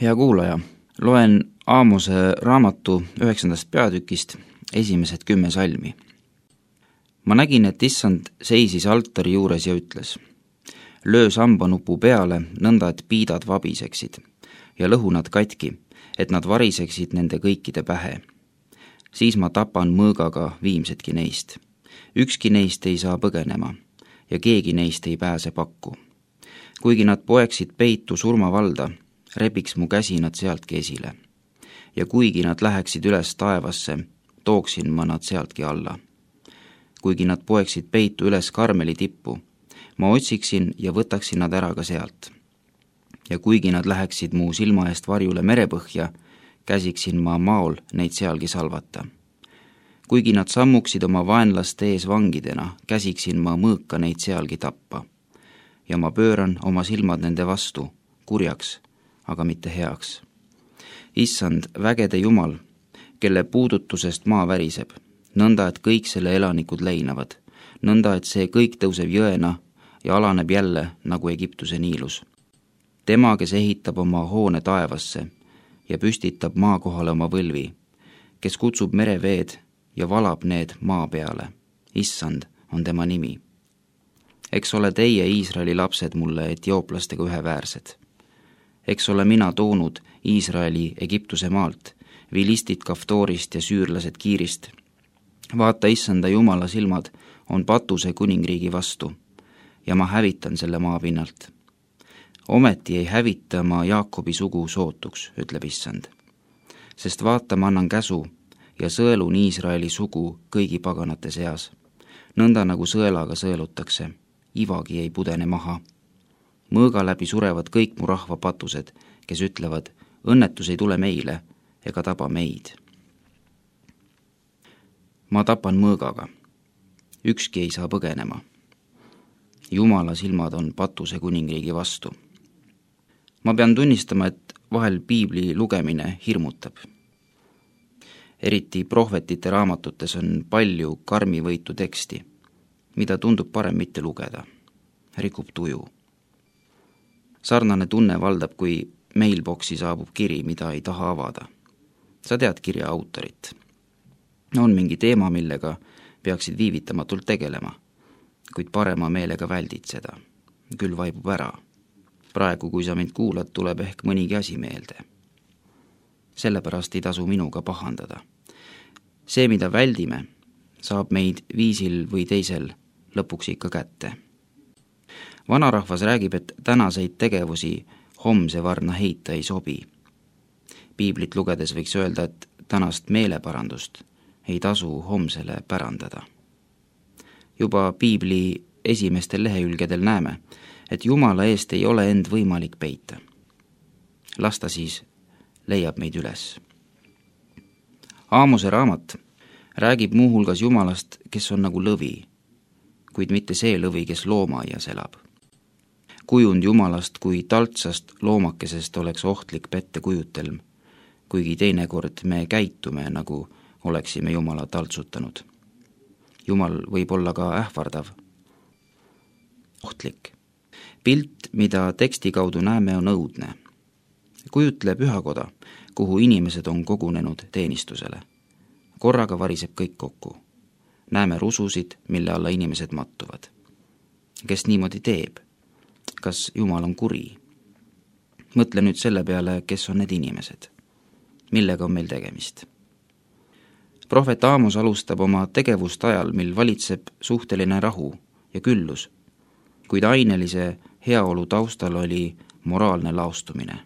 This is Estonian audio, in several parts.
Hea kuulaja, loen Aamose raamatu 9. peatükist esimesed 10 salmi. Ma nägin, et issand seisis altari juures ja ütles: löö sambanupu peale, nõnda et piidad vabiseksid ja lõhu nad katki, et nad variseksid nende kõikide pähe. Siis ma tapan mõõgaga viimsedki neist. Ükski neist ei saa põgenema ja keegi neist ei pääse pakku. Kuigi nad poeksid peitu surmavalda, rebiks mu käsi nad sealtki esile. Ja kuigi nad läheksid üles taevasse, tooksin ma nad sealtki alla. Kuigi nad poeksid peitu üles Karmeli tippu, ma otsiksin ja võtaksin nad ära ka sealt. Ja kuigi nad läheksid mu silma eest varjule merepõhja, käsiksin ma maol neid sealgi salvata. Kuigi nad sammuksid oma vaenlaste ees vangidena, käsiksin ma mõõka neid sealgi tappa. Ja ma pööran oma silmad nende vastu, kurjaks, aga mitte heaks. Issand, vägede Jumal, kelle puudutusest maa väriseb, nõnda, et kõik selle elanikud leinavad, nõnda, et see kõik tõuseb jõena ja alaneb jälle nagu Egiptuse Niilus. Tema, kes ehitab oma hoone taevasse ja püstitab maa kohale oma võlvi, kes kutsub mereveed ja valab need maa peale. Issand on tema nimi. Eks ole teie, Iisraeli lapsed, mulle etiooplastega üheväärsed. Eks ole mina toonud Iisraeli Egiptuse maalt, vilistid Kaftorist ja süürlased Kiirist. Vaata, issanda Jumala silmad on Patuse kuningriigi vastu ja ma hävitan selle maa pinnalt. Ometi ei hävita ma Jaakobi sugu sootuks, ütleb issand. Sest vaata, ma annan käsu ja sõelun Iisraeli sugu kõigi paganate seas. Nõnda nagu sõelaga sõelutakse, ivagi ei pudene maha. Mõõga läbi surevad kõik mu rahva patused, kes ütlevad, õnnetus ei tule meile ega taba meid. Ma tapan mõõgaga. Ükski ei saa põgenema. Jumala silmad on Patuse kuningriigi vastu. Ma pean tunnistama, et vahel piibli lugemine hirmutab. Eriti prohvetite raamatutes on palju karmivõitu teksti, mida tundub parem mitte lugeda. Rikub tuju. Sarnane tunne valdab, kui mailboxi saabub kiri, mida ei taha avada. Sa tead kirja autorit. On mingi teema, millega peaksid viivitamatult tegelema, kuid parema meelega väldid seda. Küll vaibub ära. Praegu, kui sa mind kuulad, tuleb ehk mõnigi asi meelde. Sellepärast ei tasu minuga pahandada. See, mida väldime, saab meid viisil või teisel lõpuks ikka kätte. Vanarahvas räägib, et tänaseid tegevusi homse varna heita ei sobi. Piiblit lugedes võiks öelda, et tänast meeleparandust ei tasu homsele pärandada. Juba piibli esimestel lehekülgedel näeme, et Jumala eest ei ole end võimalik peita. Las ta siis leiab meid üles. Aamose raamat räägib muuhulgas Jumalast, kes on nagu lõvi, kuid mitte see lõvi, kes loomaaias elab. Kujund Jumalast kui taltsast loomakesest oleks ohtlik pettekujutelm, kuigi teinekord me käitume, nagu oleksime Jumala taltsutanud. Jumal võib olla ka ähvardav, ohtlik. Pilt, mida teksti kaudu näeme, on õudne. Kujutle pühakoda, kuhu inimesed on kogunenud teenistusele. Korraga variseb kõik kokku. Näeme rususid, mille alla inimesed mattuvad. Kes niimoodi teeb? Kas Jumal on kuri? Mõtle nüüd selle peale, kes on need inimesed. Millega on meil tegemist? Prohvet Aamos alustab oma tegevust ajal, mil valitseb suhteline rahu ja küllus, kuid ainelise heaolu taustal oli moraalne laostumine,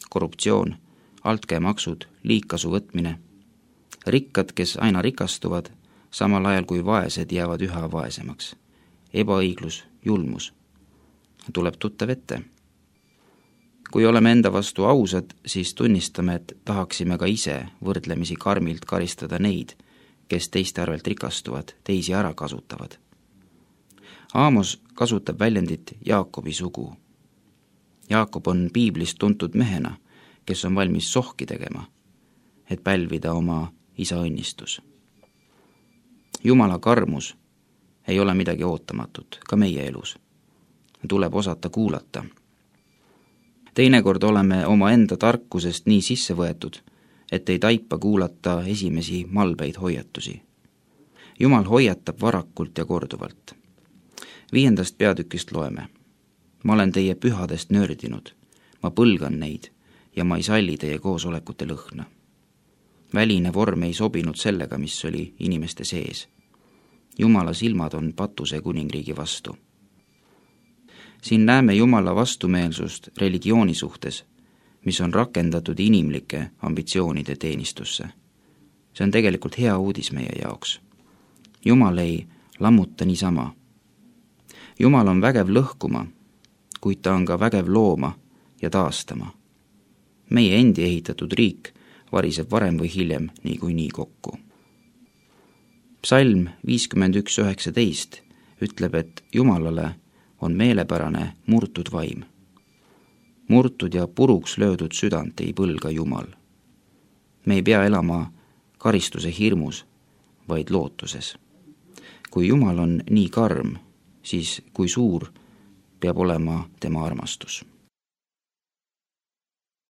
korruptsioon, altkäemaksud, liigkasu võtmine, rikkad, kes aina rikastuvad, samal ajal kui vaesed jäävad üha vaesemaks, ebaõiglus, julmus. Tuleb tuttav ette. Kui oleme enda vastu ausad, siis tunnistame, et tahaksime ka ise võrdlemisi karmilt karistada neid, kes teiste arvelt rikastuvad, teisi ära kasutavad. Aamos kasutab väljendit Jaakobi sugu. Jaakob on piiblist tuntud mehena, kes on valmis sohki tegema, et pälvida oma isa õnnistus. Jumala karmus ei ole midagi ootamatut, ka meie elus. Tuleb osata kuulata. teinekord oleme oma enda tarkusest nii sisse võetud, et ei taipa kuulata esimesi malbeid hoiatusi. Jumal hoiatab varakult ja korduvalt. 5. peatükist loeme. Ma olen teie pühadest nördinud, ma põlgan neid ja ma ei salli teie koosolekute lõhna. Väline vorm ei sobinud sellega, mis oli inimeste sees. Jumala silmad on patuse kuningriigi vastu. Siin näeme Jumala vastumeelsust religiooni suhtes, mis on rakendatud inimlike ambitsioonide teenistusse. See on tegelikult hea uudis meie jaoks. Jumal ei lammuta niisama. Jumal on vägev lõhkuma, kuid ta on ka vägev looma ja taastama. Meie endi ehitatud riik variseb varem või hiljem niikuinii kokku. Psalm 51:19 ütleb, et Jumalale on meelepärane murtud vaim. Murtud ja puruks löödud südant ei põlga Jumal. Me ei pea elama karistuse hirmus, vaid lootuses. Kui Jumal on nii karm, siis kui suur peab olema tema armastus.